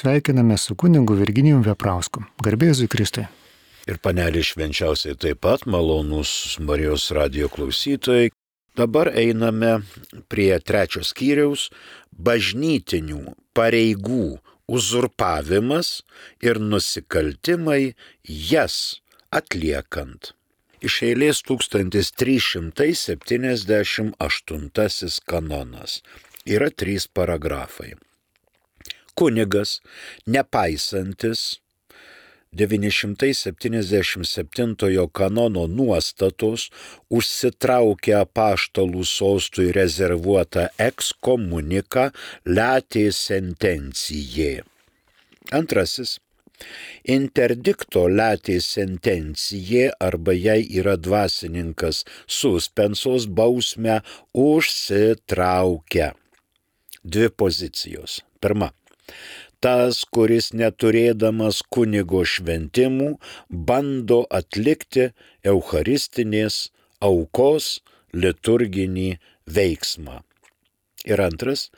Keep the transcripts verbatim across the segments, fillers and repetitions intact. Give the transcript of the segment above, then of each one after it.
sveikiname su kunigu Virginijum Veprausku. Garbė Jėzui Kristui. Ir panelė švenčiausiai taip pat, malonūs Marijos radijo klausytojai. Dabar einame prie trečio skyriaus bažnytinių pareigų uzurpavimas ir nusikaltimai jas atliekant. Iš eilės tūkstantis trys šimtai septyniasdešimt aštuntasis kanonas. Yra trys paragrafai. Kunigas, nepaisantis devyni šimtai septyniasdešimt septintojo kanono nuostatos, užsitraukė apaštalų sostui rezervuotą ekskomuniką latė sentencijė. Antrasis. Interdikto latė sentencijė arba jei yra dvasininkas suspensos bausmę užsitraukia. Dvi pozicijos. Pirma. Tas, kuris neturėdamas kunigo šventimų, bando atlikti eucharistinės aukos liturginį veiksmą. Ir antras.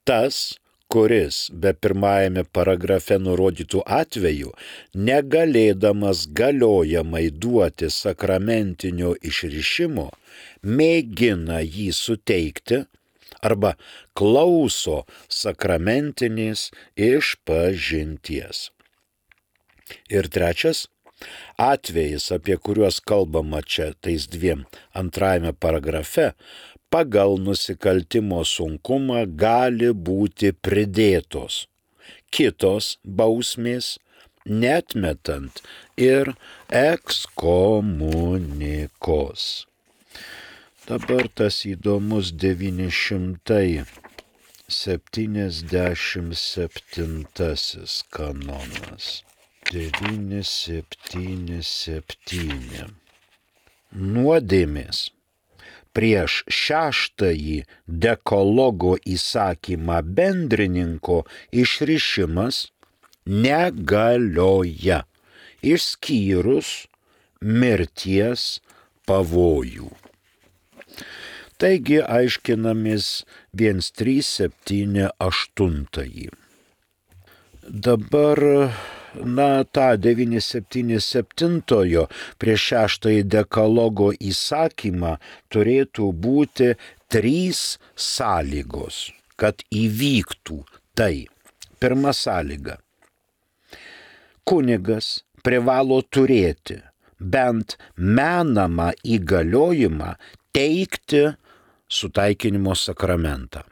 Tas, kuris be pirmajame paragrafe nurodytų atveju, negalėdamas galiojamai duoti sakramentinio išrišimo, mėgina jį suteikti arba klauso sakramentinės išpažinties. Ir trečias, atvejis, apie kuriuos kalbama čia tais dviem antrajame paragrafe, pagal nusikaltimo sunkumą gali būti pridėtos kitos bausmės, neatmetant ir ekskomunikos. Dabar tas įdomus devyni šimtai septyniasdešimt septintasis kanonas. devyni septyni septyni. Nuodėmės prieš šeštąjį dekalogo įsakymą bendrininko išrišimas negalioja, išskyrus mirties pavojų. Taigi aiškinamės vienas trys septyni aštuntąjį. Dabar, na, tą devyni septyni septintojo prieš šeštąjį dekalogo įsakymą turėtų būti trys sąlygos, kad įvyktų tai. Pirma sąlyga. Kunigas privalo turėti bent menamą įgaliojimą teikti sutaikinimo sakramentą.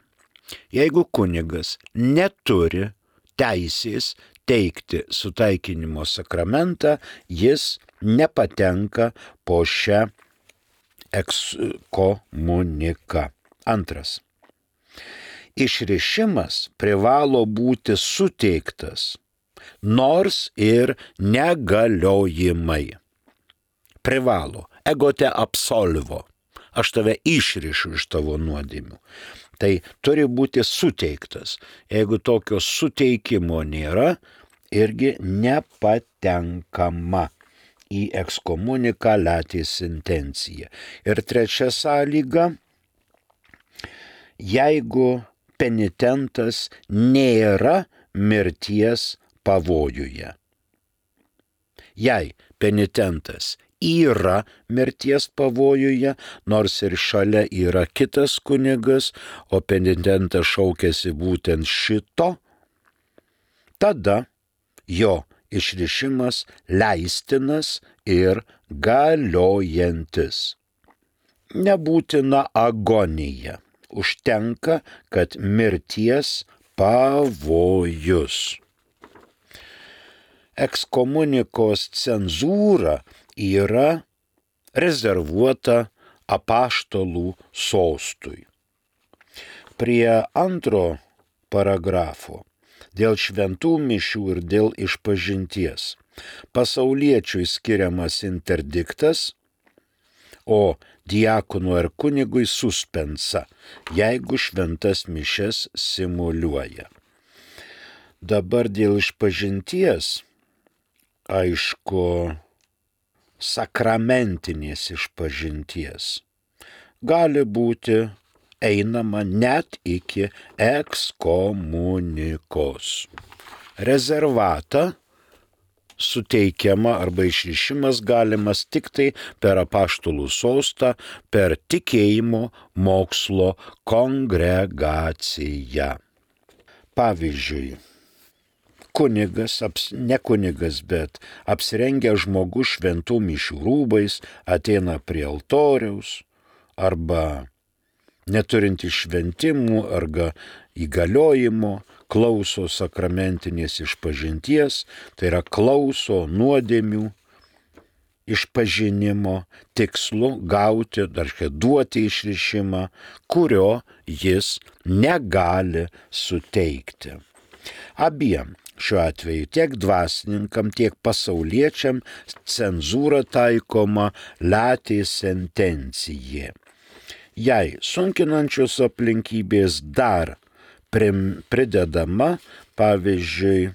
Jeigu kunigas neturi teisės teikti sutaikinimo sakramentą, jis nepatenka po šią ekskomuniką. Antras. Išrišimas privalo būti suteiktas, nors ir negaliojimai. Privalo, ego te absolvo. Aš tave išrišu iš tavo nuodėmių. Tai turi būti suteiktas. Jeigu tokio suteikimo nėra, irgi nepatenkama į ekskomuniką latė sentenciją. Ir trečia sąlyga, jeigu penitentas nėra mirties pavojuje. Jei penitentas yra mirties pavojuje, nors ir šalia yra kitas kunigas, o penitentas šaukiasi būtent šito, tada jo išrišimas leistinas ir galiojantis. Nebūtina agonija, užtenka, kad mirties pavojus. Ekskomunikos cenzūra yra rezervuota apaštalų sostui. Prie antro paragrafo dėl šventų mišių ir dėl išpažinties pasauliečiui skiriamas interdiktas, o diakonui ar kunigui suspensa, jeigu šventas mišias simuliuoja. Dabar dėl išpažinties, aišku, sakramentinės išpažinties gali būti einama net iki ekskomunikos. rezervatą suteikiama arba išrišimas galimas tik tai per apaštalų sostą, per tikėjimo mokslo kongregaciją. Pavyzdžiui, kunigas, ne kunigas, bet apsirengęs žmogus šventų mišių rūbais ateina prie altoriaus arba neturinti šventimų arba įgaliojimo, klauso sakramentinės išpažinties, tai yra klauso nuodėmių išpažinimo tikslu gauti, dar duoti išrišimą, kurio jis negali suteikti. Abiem šiuo atveju tiek dvasininkam, tiek pasauliečiam cenzūra taikoma latė sentencijė. Jei sunkinančios aplinkybės dar pridedama, pavyzdžiui,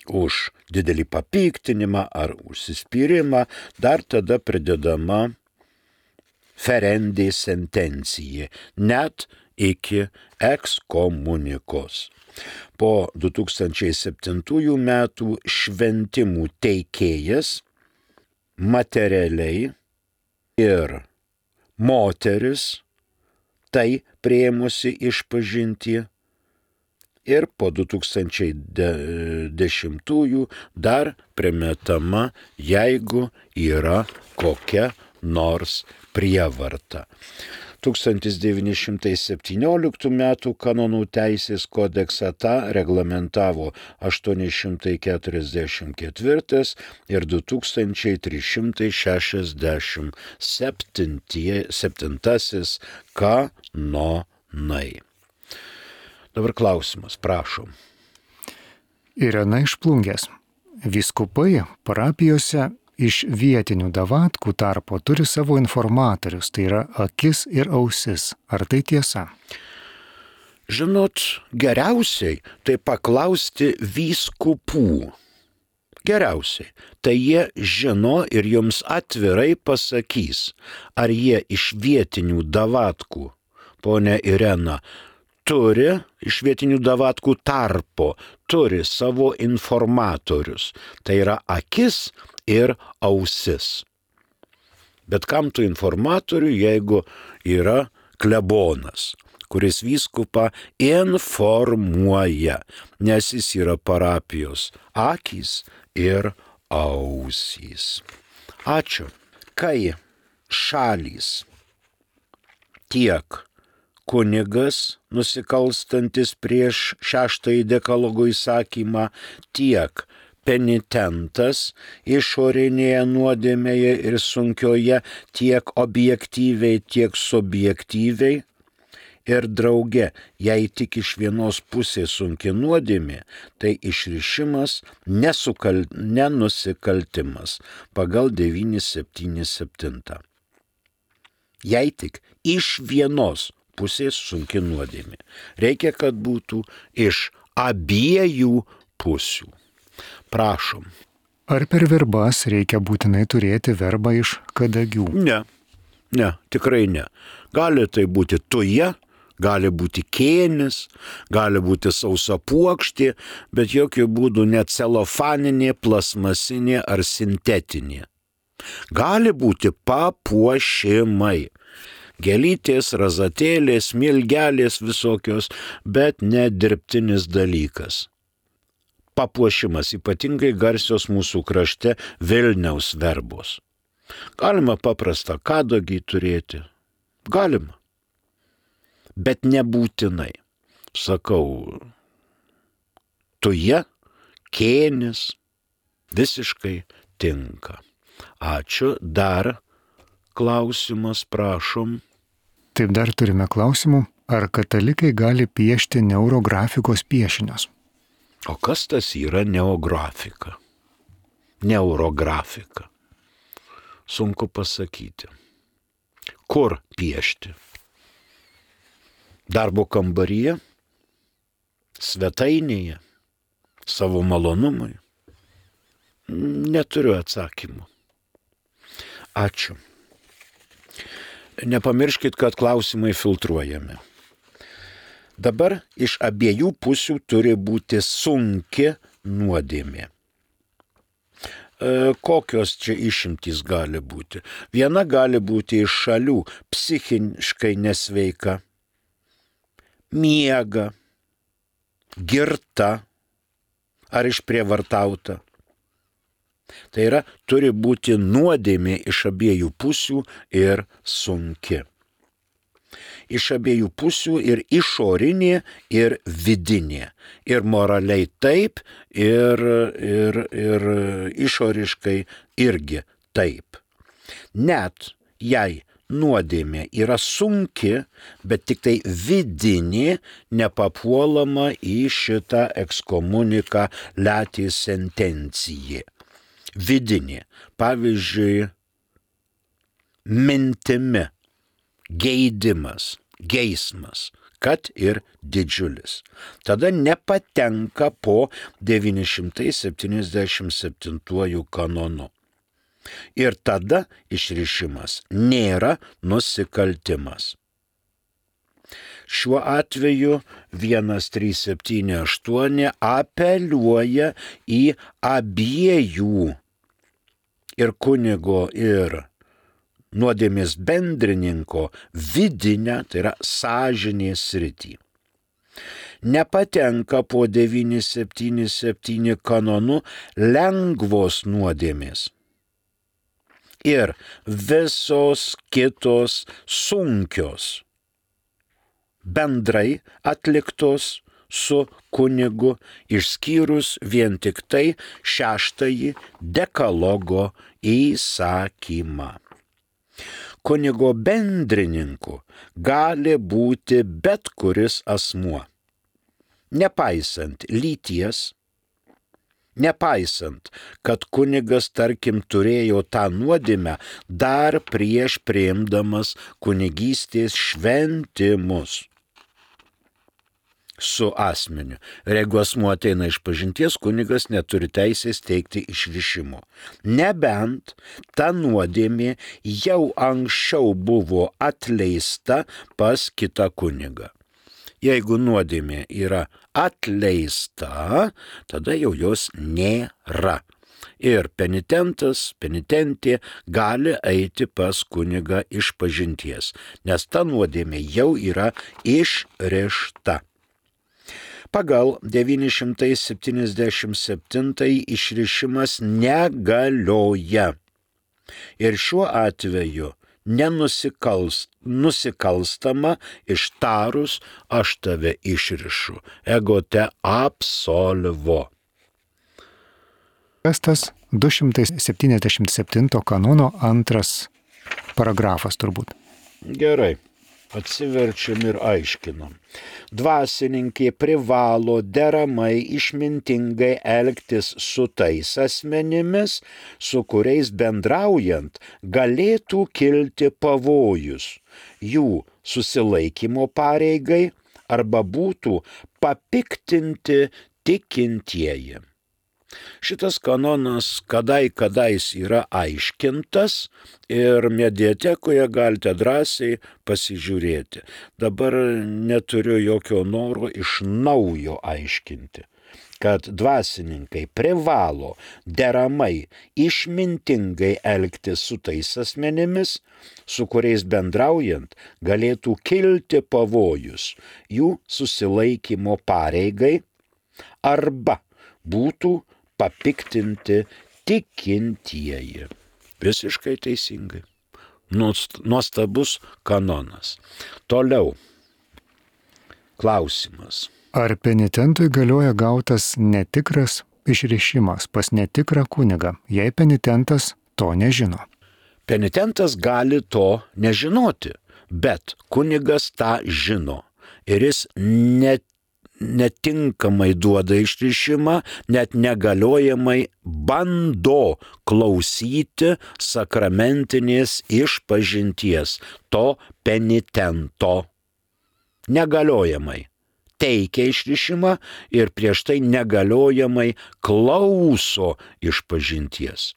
už didelį papiktinimą ar užsispyrimą, dar tada pridedama ferendė sentencija, net iki ekskomunikos. Po du tūkstančiai septintųjų metų šventimų teikėjas materialiai ir moteris tai priėmusi išpažinti ir po du tūkstančiai dešimtųjų dar primetama, jeigu yra kokia nors prievarta. tūkstantis devyni šimtai septynioliktų metų kanonų teisės kodeksą tą reglamentavo aštuoni šimtai keturiasdešimt ketvirtas ir du tūkstančiai trys šimtai šešiasdešimt septintasis kanonai. Dabar klausimas, prašom. Irena iš Plungės. Vyskupai parapijose iš vietinių davatkų tarpo turi savo informatorius, tai yra akis ir ausis. Ar tai tiesa? Žinot, geriausiai tai paklausti vyskupų. Geriausiai. Tai jie žino ir jums atvirai pasakys, ar jie iš vietinių davatkų, ponia Irena, turi iš vietinių davatkų tarpo, turi savo informatorius. Tai yra akis ir ausis. Bet kam tų informatorių, jeigu yra klebonas, kuris vyskupą informuoja, nes jis yra parapijos akys ir ausys. Ačiū. Kai šalys tiek kunigas nusikalstantis prieš šeštąjį dekalogo įsakymą, tiek penitentas išorinėje nuodėmėje ir sunkioje tiek objektyviai, tiek subjektyviai ir drauge, jei tik iš vienos pusės sunki nuodėmė, tai išrišimas nesukal... nenusikaltimas pagal devyni septyni septyni. Jei tik iš vienos pusės sunki nuodėmė. Reikia, kad būtų iš abiejų pusių. Prašom. Ar per verbas reikia būtinai turėti verbą iš kadagių? Ne, ne, tikrai ne. Gali tai būti tuja, gali būti kėnis, gali būti sausa puokštė, bet jokių būdų ne celofaninė, plasmasinė ar sintetinė. Gali būti papuošimai. Gėlytės, razatėlės, smilgelės visokios, bet ne dirbtinis dalykas. Papuošimas, ypatingai garsios mūsų krašte Vilniaus verbos. Galima paprastą kadagį turėti. Galima. Bet nebūtinai. Sakau, tuja, kėnis visiškai tinka. Ačiū. Dar klausimas, prašom. Taip, dar turime klausimų. Ar katalikai gali piešti neurografikos piešinius? O kas tas yra neografika? Neurografika. Sunku pasakyti. Kur piešti? Darbo kambaryje? Svetainėje? Savo malonumui? Neturiu atsakymų. Ačiū. Nepamirškit, kad klausimai filtruojami. Dabar iš abiejų pusių turi būti sunki nuodėmė. E, kokios čia išimtys gali būti? Viena gali būti iš šalių psichiškai nesveika, miega, girta ar išprievartauta. Tai yra, turi būti nuodėmė iš abiejų pusių ir sunki. Iš abiejų pusių ir išorinė, ir vidinė. Ir moraliai taip, ir, ir, ir išoriškai irgi taip. Net jei nuodėmė yra sunki, bet tik tai vidinė, nepapuolama į šitą ekskomuniką leti sentencijai. Vidinė, pavyzdžiui, mintimi, geidimas, geismas, kad ir didžiulis. Tada nepatenka po devyni šimtai septyniasdešimt septintuoju kanonu. Ir tada išrišimas nėra nusikaltimas. Šiuo atveju vienas trys septyni aštuoni apeliuoja į abiejų ir kunigo ir nuodėmės bendrininko vidinę, tai yra sąžinės sritį. Nepatenka po devyni septyni septyni kanonu lengvos nuodėmės. Ir visos kitos sunkios, bendrai atliktos su kunigu, išskyrus vien tik tai šeštąjį dekalogo įsakymą. Kunigo bendrininku gali būti bet kuris asmuo, nepaisant lyties, nepaisant, kad kunigas, tarkim, turėjo tą nuodėmę dar prieš priimdamas kunigystės šventimus su asmeniu. Ir jeigu asmuo ateina iš pažinties, kunigas neturi teisės teikti išrišimo. Nebent ta nuodėmė jau anksčiau buvo atleista pas kitą kunigą. Jeigu nuodėmė yra atleista, tada jau jos nėra. Ir penitentas, penitentė gali eiti pas kunigą iš pažinties, nes ta nuodėmė jau yra išrišta. Pagal devyni šimtai septyniasdešimt septintąjį išrišimas negalioja. Ir šiuo atveju nenusikalst, nusikalstama ištarus aš tave išrišu, ego te absolvo. Kas tas du šimtai septyniasdešimt septinto kanono antras paragrafas turbūt? Gerai. Atsiverčiam ir aiškinam. Dvasininkė privalo deramai išmintingai elgtis su tais asmenimis, su kuriais bendraujant galėtų kilti pavojus jų susilaikymo pareigai arba būtų papiktinti tikintieji. Šitas kanonas kadai kadais yra aiškintas ir mediatekoje galite drąsiai pasižiūrėti. Dabar neturiu jokio noro iš naujo aiškinti, kad dvasininkai privalo deramai išmintingai elgtis su tais asmenimis, su kuriais bendraujant galėtų kilti pavojus jų susilaikymo pareigai arba būtų papiktinti tikintieji. Visiškai teisingai. Nuostabus kanonas. Toliau. Klausimas. Ar penitentui galioja gautas netikras išrišimas pas netikrą kunigą, jei penitentas to nežino? Penitentas gali to nežinoti, bet kunigas tą žino. Ir jis net netinkamai duoda išrišimą, net negaliojamai bando klausyti sakramentinės išpažinties to penitento. Negaliojamai teikia išrišimą ir prieš tai negaliojamai klauso išpažinties.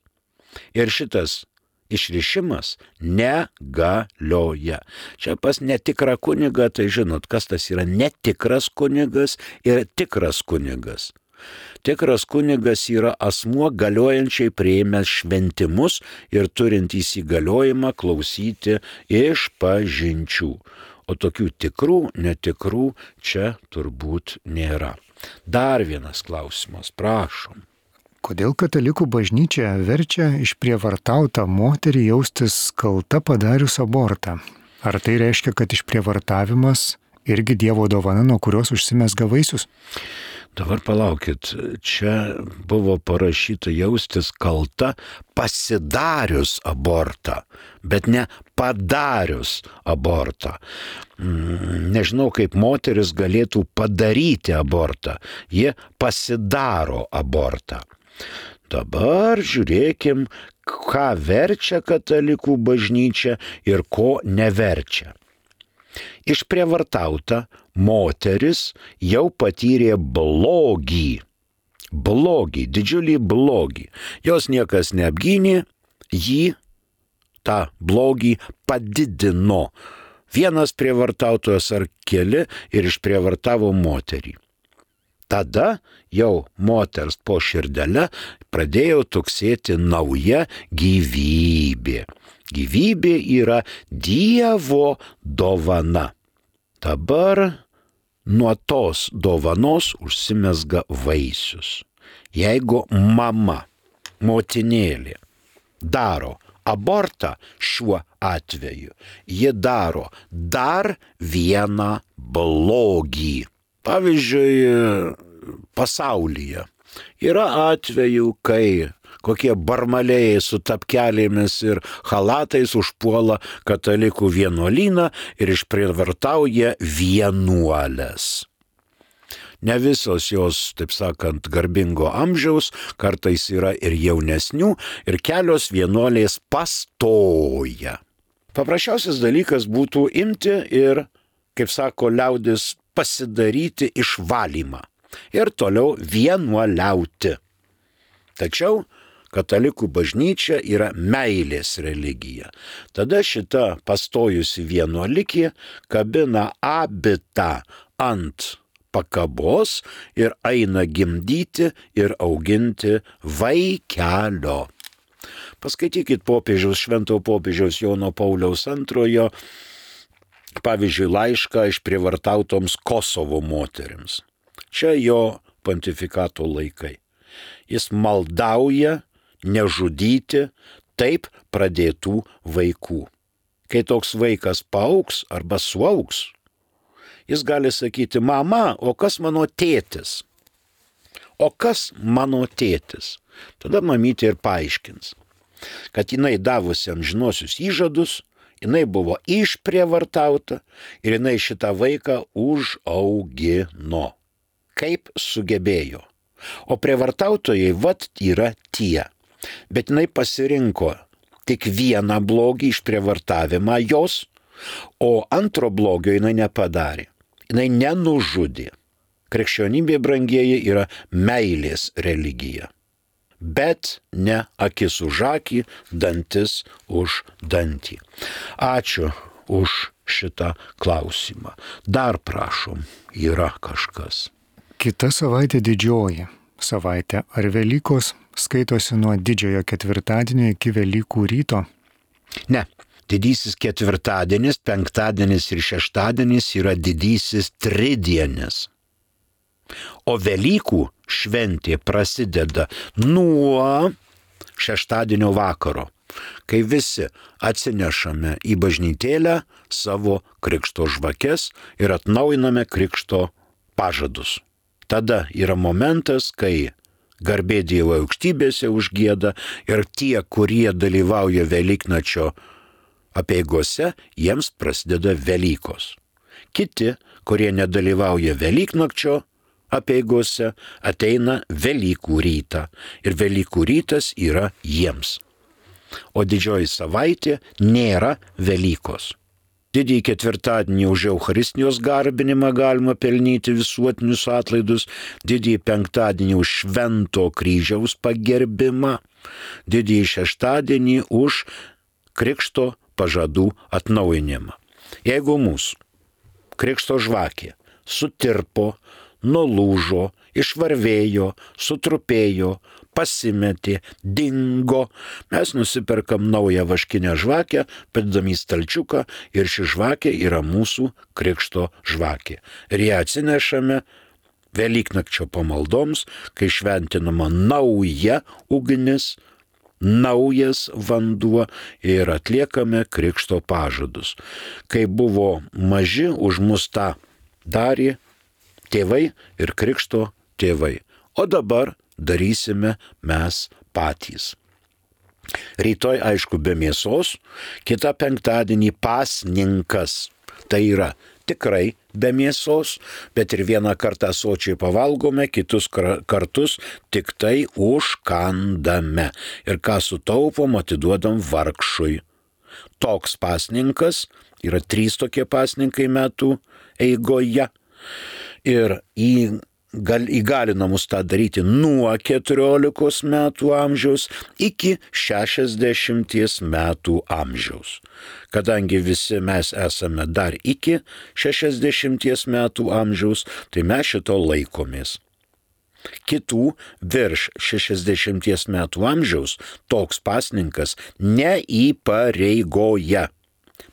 Ir šitas išrišimas negalioja. Čia pas netikrą kunigą, tai žinot, kas tas yra netikras kunigas ir tikras kunigas. Tikras kunigas yra asmuo galiojančiai priėmęs šventimus ir turintys įgaliojimą klausyti išpažinčių. O tokių tikrų, netikrų čia turbūt nėra. Dar vienas klausimas, prašom. Kodėl katalikų bažnyčia verčia išprievartautą moterį jaustis kalta padarius abortą? Ar tai reiškia, kad išprievartavimas irgi Dievo dovana, nuo kurios užsimezga vaisius? Dabar palaukit, čia buvo parašyta jaustis kalta pasidarius abortą, bet ne padarius abortą. Nežinau, kaip moteris galėtų padaryti abortą, jie pasidaro abortą. Dabar žiūrėkim, ką verčia katalikų bažnyčia ir ko neverčia. Išprievartauta moteris jau patyrė blogį, blogį, didžiulį blogį. Jos niekas neapgynė, jį tą blogį padidino. Vienas prievartautojas ar keli ir išprievartavo moterį. Tada jau moters po širdelę pradėjo tuksėti nauja gyvybė. Gyvybė yra Dievo dovana. Dabar nuo tos dovanos užsimezga vaisius. Jeigu mama, motinėlė, daro abortą šiuo atveju, ji daro dar vieną blogį. Pavyzdžiui, pasaulyje yra atvejų, kai kokie barmalėjai su tapkelėmis ir chalatais užpuola katalikų vienuolyną ir išprievartauja vienuolės. Ne visos jos, taip sakant, garbingo amžiaus, kartais yra ir jaunesnių, ir kelios vienuolės pastoja. Paprasčiausias dalykas būtų imti ir, kaip sako liaudis, pasidaryti išvalymą ir toliau vienuoliauti. Tačiau katalikų bažnyčia yra meilės religija. Tada šita pastojusi vienuolikė kabina abitą ant pakabos ir eina gimdyti ir auginti vaikelio. Paskaitykit popiežiaus, švento popiežiaus Jono Pauliaus antrojo, pavyzdžiui, laišką išprievartautoms Kosovo moterims. Čia jo pontifikato laikai. Jis maldauja nežudyti taip pradėtų vaikų. Kai toks vaikas paaugs arba suaugs, jis gali sakyti, mama, o kas mano tėtis? O kas mano tėtis? Tada mamytė ir paaiškins, kad jinai davusi amžinosius įžadus, jinai buvo išprievartauta ir jinai šitą vaiką užaugino. Kaip sugebėjo. O prievartautojai vat yra tie. Bet jinai pasirinko tik vieną blogį išprievartavimą jos, o antro blogio jinai nepadarė. Jinai nenužudė. Krikščionybė, brangieji, yra meilės religija. Bet ne akis už akį, dantis už dantį. Ačiū už šitą klausimą. Dar prašom, yra kažkas. Kita savaitė didžioji savaitė. Ar Velykos skaitosi nuo didžiojo ketvirtadienio iki Velykų ryto? Ne. Didysis ketvirtadienis, penktadienis ir šeštadienis yra didysis tridienis. O Velykų šventė prasideda nuo šeštadienio vakaro, kai visi atsinešame į bažnytėlę savo krikšto žvakes ir atnaujiname krikšto pažadus. Tada yra momentas, kai garbė Dievo aukštybėse užgieda ir tie, kurie dalyvauja Velyknačio apeigose, jiems prasideda Velykos. Kiti, kurie nedalyvauja Velyknakčio apeigose, ateina Velykų rytą ir Velykų rytas yra jiems. O didžioji savaitė nėra Velykos. Didįjį ketvirtadienį už Eucharistijos garbinimą galima pelnyti visuotinius atlaidus, didįjį penktadienį už Švento kryžiaus pagerbimą, didįjį šeštadienį už krikšto pažadų atnaujinimą. Jeigu mūsų krikšto žvakė sutirpo, nulūžo, išvarvėjo, sutrupėjo, pasimetė, dingo, mes nusiperkam naują vaškinę žvakę, padedam į stalčiuką ir ši žvakė yra mūsų krikšto žvakė. Ir ją atsinešame Velyknakčio pamaldoms, kai šventinama nauja ugnis, naujas vanduo ir atliekame krikšto pažadus. Kai buvo maži, už mus tą darė tėvai ir krikšto tėvai. O dabar darysime mes patys. Rytoj, aišku, be mėsos, kitą penktadienį pasninkas. Tai yra tikrai be mėsos, bet ir vieną kartą sočiai pavalgome, kitus kartus tik tai užkandame. Ir ką sutaupom, atiduodam vargšui. Toks pasninkas, yra trys tokie pasninkai metų eigoje. Ir į Gal, įgalina mus tą daryti nuo keturiolikos metų amžiaus iki šešiasdešimties metų amžiaus. Kadangi visi mes esame dar iki šešiasdešimties metų amžiaus, tai mes šito laikomės. Kitų virš šešiasdešimties metų amžiaus toks pasninkas neįpareigoja.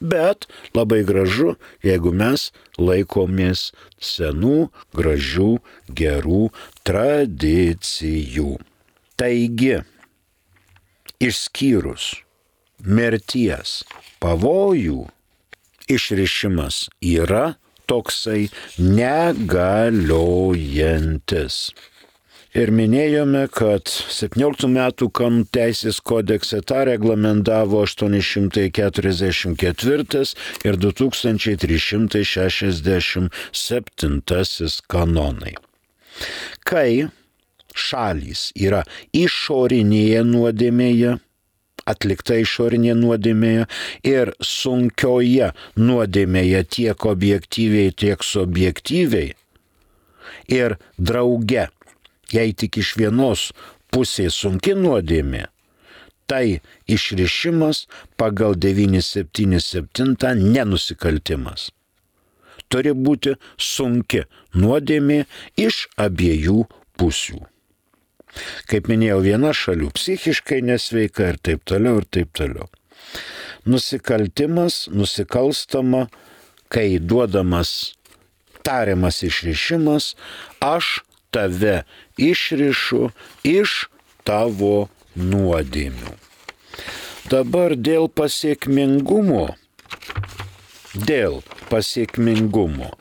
Bet labai gražu, jeigu mes laikomės senų, gražių, gerų tradicijų. Taigi, išskyrus mirties pavojų, išrišimas yra toksai negaliojantis. Ir minėjome, kad septynioliktų metų kanonų teisės kodekse tą reglamentavo aštuoni šimtai keturiasdešimt ketvirtas ir du tūkstančiai trys šimtai šešiasdešimt septintasis kanonai. Kai šalys yra išorinėje nuodėmėje, atlikta išorinė nuodėmėje ir sunkioje nuodėmėje tiek objektyviai, tiek subjektyviai ir drauge, jei tik iš vienos pusės sunki nuodėmė, tai išrišimas pagal devyni septyni septyni nenusikaltimas. Turi būti sunki nuodėmė iš abiejų pusių. Kaip minėjau, viena šalių psichiškai nesveika ir taip toliau, ir taip toliau. Nusikaltimas, nusikalstama, kai duodamas tariamas išrišimas, aš tave išrišu iš tavo nuodėmių. Dabar dėl pasiekmingumo, dėl pasiekmingumo,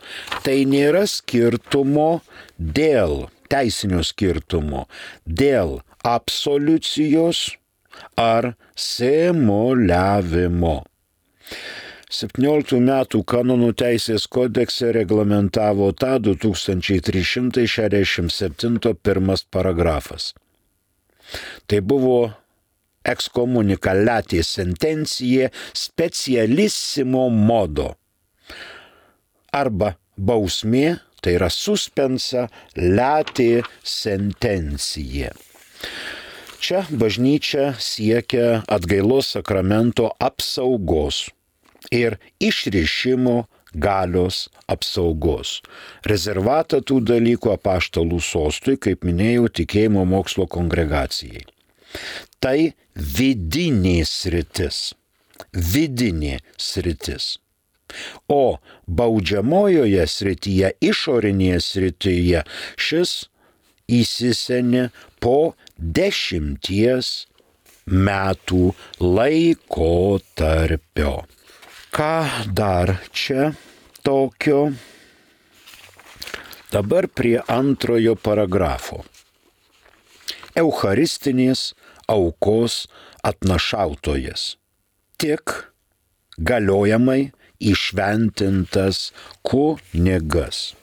tai nėra skirtumo dėl teisinio skirtumo, dėl absoliucijos ar simuliavimo. septynioliktų metų kanonų teisės kodekse reglamentavo tą du tūkstančiai trys šimtai šešiasdešimt septintas pirmas paragrafas. Tai buvo excomunica late sentencija specialissimo modo arba bausmė, tai yra suspensa late sentencija. Čia bažnyčia siekia atgailos sakramento apsaugos ir išrišimo galios apsaugos. Rezervatą tų dalykų apaštalų sostui, kaip minėjau, tikėjimo mokslo kongregacijai. Tai vidinė sritis. Vidinė sritis. O baudžiamojoje srityje, išorinėje srityje, šis įsisenė po dešimties metų laikotarpio. Ką dar čia tokio? Dabar prie antrojo paragrafo. Eucharistinės aukos atnašautojas. Tik galiojamai įšventintas kunigas.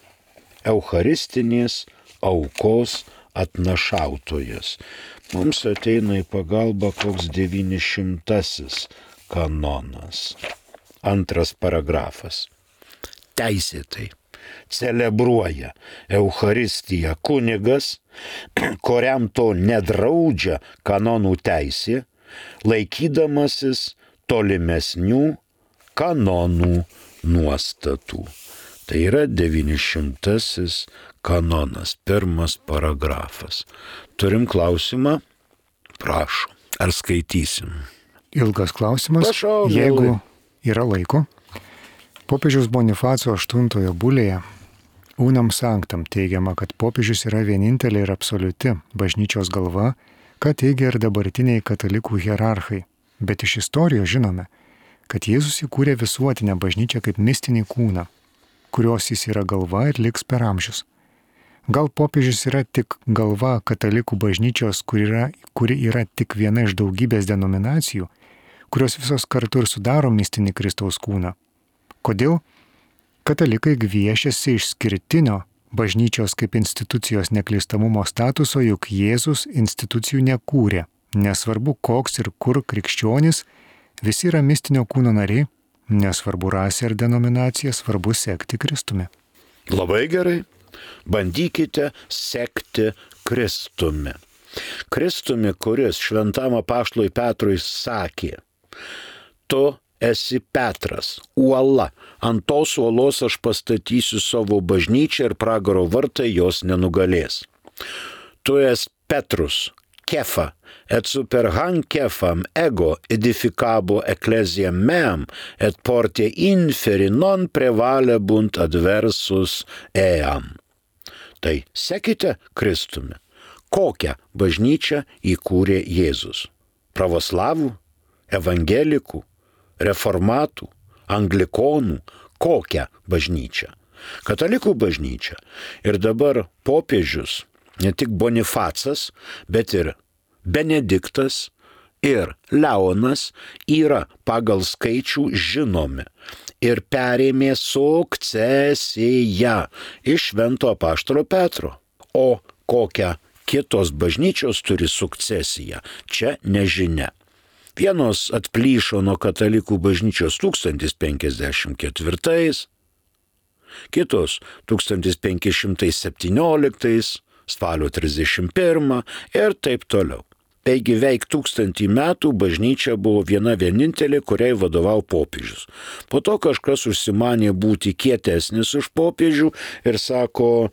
Eucharistinės aukos atnašautojas. Mums ateina į pagalbą koks devynišimtasis kanonas. Antras paragrafas. Teisėtai celebruoja Eucharistiją kunigas, kuriam to nedraudžia kanonų teisė, laikydamasis tolimesnių kanonų nuostatų. Tai yra devynišimtasis kanonas, pirmas paragrafas. Turim klausimą? Prašom. Ar skaitysim? Ilgas klausimas. Prašau, jeigu yra laiko. Popiežiaus Bonifaco aštuntojo bulėje Unam Sanctam teigiama, kad popiežius yra vienintelė ir absoliuti bažnyčios galva, ką teigia ir dabartiniai katalikų hierarchai. Bet iš istorijos žinome, kad Jėzus įkūrė visuotinę bažnyčią kaip mistinį kūną, kurios jis yra galva ir liks per amžius. Gal popiežius yra tik galva katalikų bažnyčios, kuri yra, kuri yra tik viena iš daugybės denominacijų, kurios visos kartu ir sudaro mistinį Kristaus kūną. Kodėl katalikai gviešiasi išskirtinio bažnyčios kaip institucijos neklystamumo statuso, juk Jėzus institucijų nekūrė. Nesvarbu, koks ir kur krikščionys, visi yra mistinio kūno nariai, nesvarbu rasė ar denominacija, svarbu sekti Kristumi. Labai gerai. Bandykite sekti Kristumi. Kristumi, kuris šventam apaštalui Petrui sakė, tu esi Petras, uola, ant tos uolos aš pastatysiu savo bažnyčią ir pragaro vartai jos nenugalės. Tu esi Petrus, Kefa, et super han kefam ego edificabo ecclesiam meam, et porte inferi non prevalebunt adversus eam. Tai sekite Kristumi. Kokią bažnyčią įkūrė Jėzus? Pravoslavų, evangelikų, reformatų, anglikonų, kokią bažnyčią? Katalikų bažnyčią. Ir dabar popiežius, ne tik Bonifacas, bet ir Benediktas ir Leonas yra pagal skaičių žinomi ir perėmė sukcesiją iš švento apaštalo Petro. O kokią kitos bažnyčios turi sukcesiją, čia nežinia. Vienos atplyšo nuo katalikų bažnyčios tūkstantis penkiasdešimt ketvirtais, kitos tūkstantis penki šimtai septynioliktais, spalio trisdešimt pirmą ir taip toliau. Taigi veik tūkstantį metų bažnyčia buvo viena vienintelė, kuriai vadovavo popiežius. Po to kažkas užsimanė būti kietesnis už popiežių ir sako,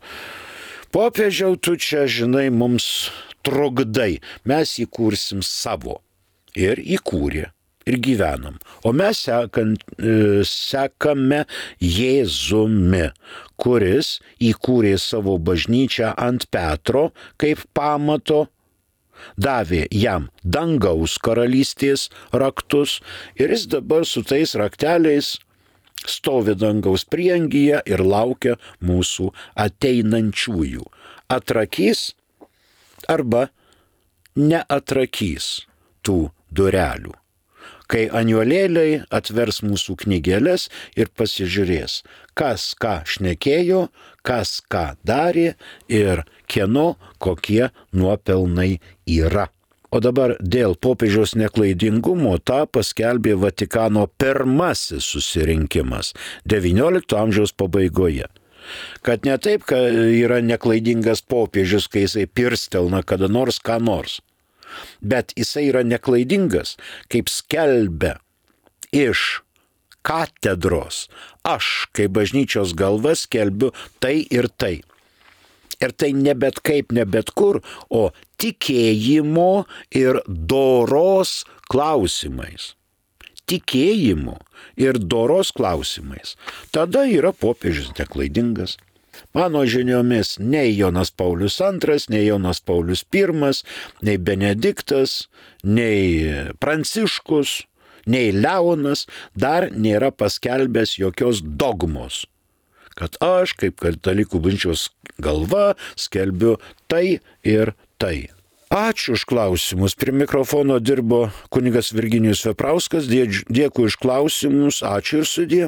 popiežiau, tu čia, žinai, mums trukdai, mes įkursim savo. Ir įkūrė. Ir gyvenam. O mes sekant, sekame Jėzumi, kuris įkūrė savo bažnyčią ant Petro kaip pamato, davė jam dangaus karalystės raktus ir jis dabar su tais rakteliais stovi dangaus prieangyje ir laukia mūsų ateinančiųjų. Atrakys arba neatrakys tų durelių. Kai angelėliai atvers mūsų knygelės ir pasižiūrės, kas ką šnekėjo, kas ką darė ir kieno kokie nuopelnai yra. O dabar dėl popiežiaus neklaidingumo tą paskelbė Vatikano pirmasis susirinkimas devyniolikto amžiaus pabaigoje. Kad ne taip, kad yra neklaidingas popiežius, kai jisai pirstelna kada nors ką nors. Bet jisai yra neklaidingas, kaip skelbia iš katedros. Aš, kaip bažnyčios galva, skelbiu tai ir tai. Ir tai ne bet kaip, ne bet kur, o tikėjimo ir doros klausimais. Tikėjimo ir doros klausimais. Tada yra popiežius neklaidingas. Mano žiniomis, nei Jonas Paulius antras, nei Jonas Paulius pirmas, nei Benediktas, nei Pranciškus, nei Leonas dar nėra paskelbęs jokios dogmos, kad aš, kaip katalikų bažnyčios galva, skelbiu tai ir tai. Ačiū už klausimus. Prie mikrofono dirbo kunigas Virginijus Veprauskas. Dėkui už klausimus. Ačiū ir sudie.